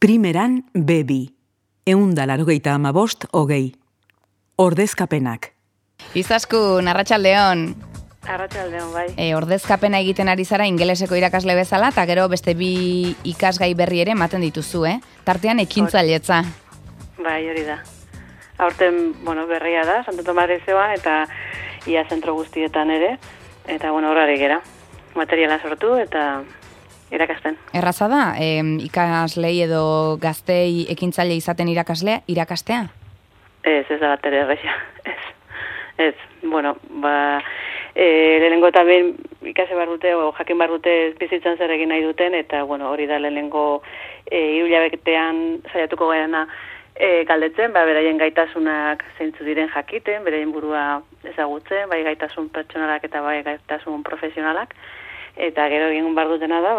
Primeran B2, 185 Ordezkapenak. Izaskun, arratsaldeon. Arratsaldeon, bai. Ordezkapena egiten ari zara ingeleseko irakasle bezala, eta gero beste bi ikasgai berri ere ematen dituzu, Tartean ekintzailetza. Bai, hori da. Aurten, berria da, Santo Tomas Lizeoan eta ia zentro guztietan ere, eta horari gera. Materiala sortu eta irakasten. Erraza da, ikaslei edo gaztei ekintzaile izaten irakastea? Ez da bat ere erresa. Ez. Lehenengo eta behin ikase bar dute, jakin bar dute bizitzan zer egin nahi duten, eta hori da lehenengo hiruhilabetean saiatuko garena galdetzen, beraien gaitasunak zeintzu diren jakiten, beraien burua ezagutzen, bai gaitasun pertsonalak eta bai gaitasun profesionalak, eta gero egin bar dutena da,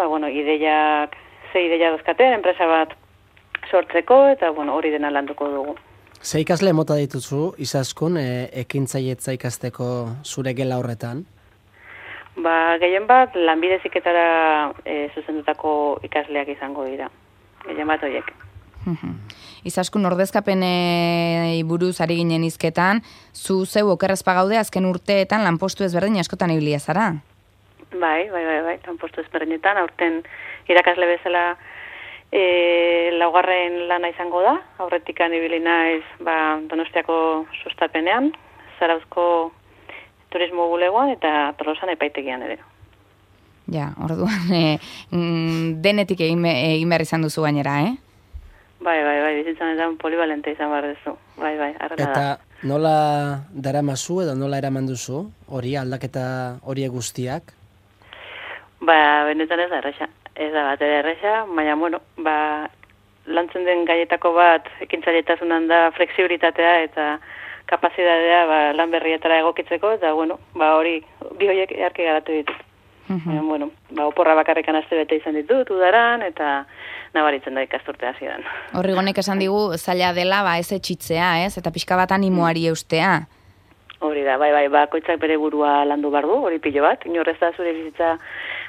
ze ideia dozkaten, enpresa bat sortzeko, eta hori dena landuko dugu. Ze ikasle mota dituzu, Izaskun, ekintzailetza ikasteko zure gela horretan? Gehien bat, lanbide heziketara zuzendutako ikasleak izango dira. Gehien bat horiek. Izaskun, ordezkapenei buruz ari ginen hizketan, zu zeu okerrezpa gaude azken urteetan lanpostu ezberdin askotan ibilia zara? Bai, lanpostu ezberdinetan, aurten irakasle bezala laugarren lana izango da, aurretikan ibili naiz Donostiako sustapenean, Zarauzko turismo bulegoan eta Tolosan epaitegian ere. Ja, orduan denetik egin behar izan duzu gainera, Bai, bizitzan edan polivalente izan behar duzu. Bai, arrela da. Eta nola daramazu edo nola eraman duzu hori aldaketa horiek guztiak? Benetan ez da erresa. Ez da bat ere erresa, baina, lantzen den gaietako bat ekintzailetazunan da flexibilitatea eta kapazitatea lan berrietara egokitzeko, eta hori bi horiek earki garatu ditut. Oporra bakarrekan aste bete izan ditut, udaran, eta nabaritzen da ikasturte hasieran. Horrigonek esan digu zaila dela ez etxitzea, eta pixka bat animoari eustea. Hori da, bai, bakoitzak bere burua landu bardu, hori pilo bat, inorrez da zure bizitza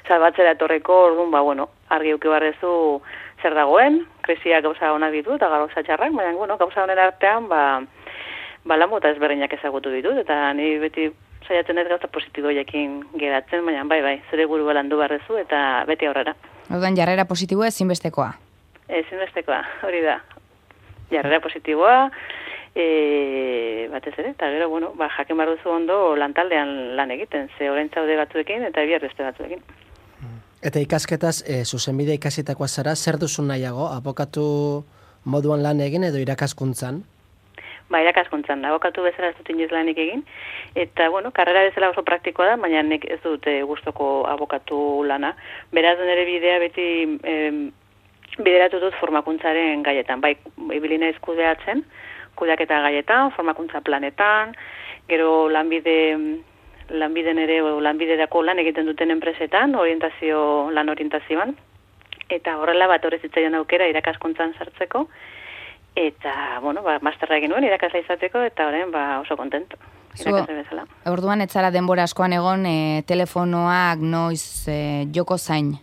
salbatzera etorreko, orduan, argi uki barrezu zer dagoen, krisia gauza onak ditu eta gauza txarrak, baina, gauza honen artean, lan mota ezberdinak ezagutu ditut, eta ni beti saiatzen ez gauza positiboiekin geratzen, baina, bai, zure burua landu barrezu eta beti aurrera. Orduan, jarrera positiboa ezinbestekoa? Ezinbestekoa, hori da. Jarrera positiboa, batez ere, eta gero, jakin behar duzu ondo lantaldean lan egiten, ze orain zaude batzuekin eta bihar beste batzuekin. Eta ikasketaz, zuzenbide ikasitakoa zara, zer duzu nahiago, abokatu moduan lan egin edo irakaskuntzan? Irakaskuntzan, abokatu bezala ez dut inoiz lanik egin, eta, karrera bezala oso praktikoa da, baina nik ez dut gustoko abokatu lana. Beraz, nire bidea beti bideratu dut formakuntzaren gaietan, ibili naiz kudeatzen, kudeaketa gaietan, formakuntza planetan, gero lanbiden ere, lanbidetako lan egiten duten enpresetan, lan orientazioan, eta horrela bat horrezitzaion aukera irakaskuntzan sartzeko, eta, masterra egin nuen irakasla izateko, eta horren oso kontento. Orduan ez zara denbora askoan egon telefonoak noiz joko zain?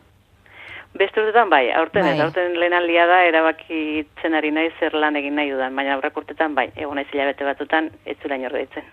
Beste urtetan aurten lehen aldia da erabakitzen ari nahi zer lan egin nahi dudan, baina aurrak urtetan egon naiz hilabete batutan ez zula inor deitzen.